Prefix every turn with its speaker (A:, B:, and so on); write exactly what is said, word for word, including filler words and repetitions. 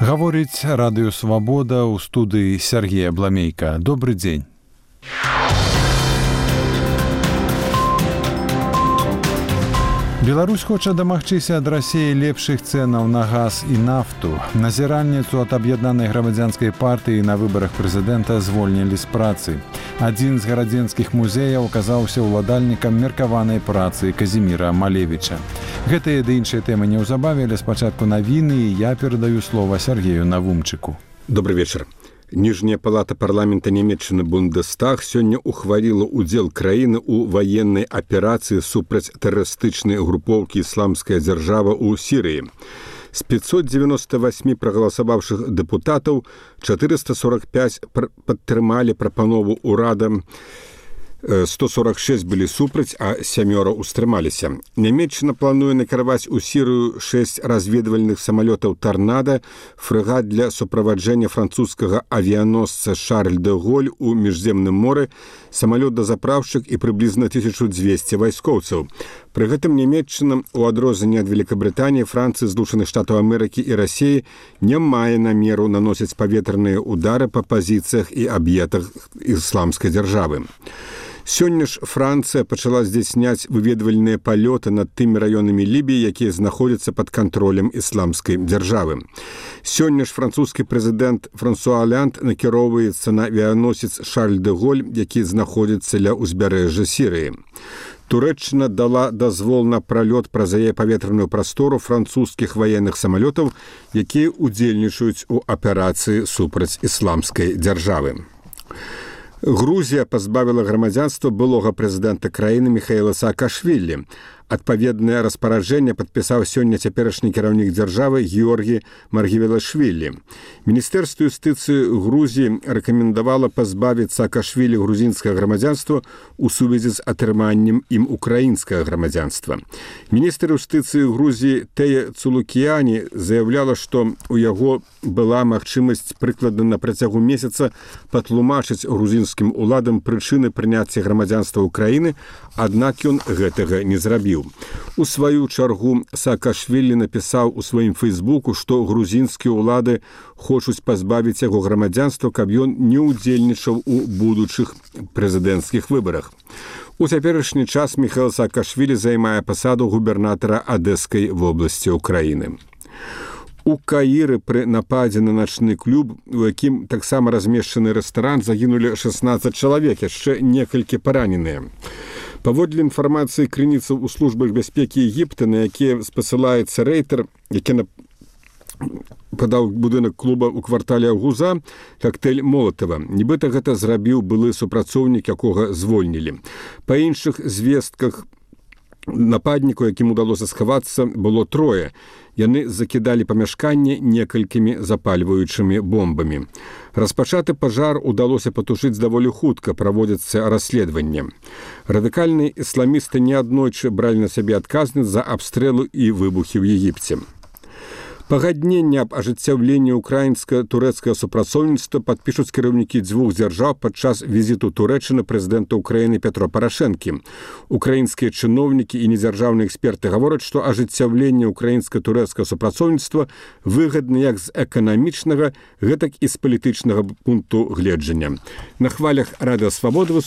A: Гаворыць радыё «Свабода» ў студыі Сергея Бламейка. Добры дзень. Беларусь хоча дамагчыся ад Расіі лепшых цэнаў на газ і нафту. Назіральніцу ад аб'яднанай грамадзянскай партыі на выбарах прэзідэнта звольнілі з працы. Адзін з гарадзенскіх музеяў аказаўся ўладальнікам меркаванай працы Казіміра Малевіча. Гэтыя ды іншыя тэмы неўзабаве, але спачатку навіны, і я перадаю слова Сергею Навумчыку.
B: Добрый вечер. Ніжняя палата парламента Нямецчыны Бундестаг сёння ухваліла ўдзел краіны ў ваеннай аперацыі супраць тэрарыстычнай групоўкі «Ісламская дзяржава» ў Сірыі. З пятьсот девяносто восемь прагаласаваўшых дэпутатаў четыреста сорок пять падтрымалі прапанову ўрада, сто сорок шесть былі супраць, а сямёра ўстрымаліся. Нямецчына плануе накіраваць у Сірыю шесть разведвальных самалётаў «Торнадо», фрэгат для суправаджэння французскага авіяносца «Шарль де Голь» у міжземным моры, самалёт-дазапраўшчык і прыблізна тысяча двести вайскоўцаў. Пры гэтым Нямецчына, у адрозненне ад Великабрытаніі, Францыі, Злучаных Штатаў Амерыкі і Расіі, не мае намеру наносіць паветраныя ўдары па пазіцыях і аб'ектах ісламскай дзяржавы. Сёння ж Францыя пачала здзяйсняць выведвальныя палёты над тымі раёнамі Лібіі, якія знаходзяцца пад кантролем ісламскай дзяржавы. Сёння ж французскі прэзідэнт Франсуа Олянд накіроўваецца на авіяносец «Шарль де Голь», які знаходзіцца ля ўзбярэжжа Сірыі. Турэччына дала дазвол на пралёт праз яе паветраную прастору французскіх ваенных самалётаў, якія ўдзельнічаюць у аперацыі супраць ісламскай дзяржавы. Грузія пазбавіла грамадзянства былога прэзідэнта краіны Міхаіла Саакашвілі. Адпаведнае распараджэнне падпісаў сёння цяперашні кіраўнік дзяржавы Георгі Маргівелашвілі. Міністэрства юстыцыі Грузіі рэкамендавала пазбавіць Саакашвілі грузінскага грамадзянства ў сувязі з атрыманнем ім украінскага грамадзянства. Міністр юстыцыі Грузіі Тея Цулукіяні заяўляла, што у яго была магчымасць прыкладна на працягу месяца патлумачыць грузінскім уладам прычыны прыняцця грамадзянства ўкраіны, аднак ён гэтага не зрабіў. У сваю чаргу Саакашвілі напісаў у сваім фейсбуку, што грузінскія ўлады хочуць пазбавіць яго грамадзянства, каб ён не ўдзельнічаў у будучых прэзідэнцкіх выбарах. У цяперашні час Міхаіл Саакашвілі займае пасаду губернатара Адэскай вобласці ўкраіны. У Каіры пры нападзе на начны клуб, у якім таксама размешчаны рэстаран, загінулі шестнадцать чалавек, яшчэ некалькі параненыя. Паводле інфармацыі крыніцаў у службах бяспекі Егіпта, на якія спасылаецца рэйтер, які падаў будынак клуба ў квартале Гуза, коктейль Молотова. Нібыта гэта зрабіў былы супрацоўнік, якога звольнілі. Па іншых звестках, нападніку, якім удалося схавацца, было трое. Яны закідалі памяшканне некалькімі запальваючымі бомбамі. Распачаты пажар удалося патушыць даволі хутка, праводзіцца расследаванне. Радыкальныя ісламісты неаднойчы бралі на сябе адказнасць за абстрэлы і выбухі ў Егіпце. Пагадненне аб ажыццяўленні украінска-турэцкага супрацоўніцтва падпішуць кіраўнікі дзвюх дзяржаў падчас візіту Турэччыны прэзідэнта Украіны Петра Парашэнкі. Украінскія чыноўнікі і недзяржаўныя эксперты гавораць, што ажыццяўленне украінска-турэцкага супрацоўніцтва выгадна як з эканамічнага, гэтак і з палітычнага пункту гледжання. На хвалях радыё «Свабода»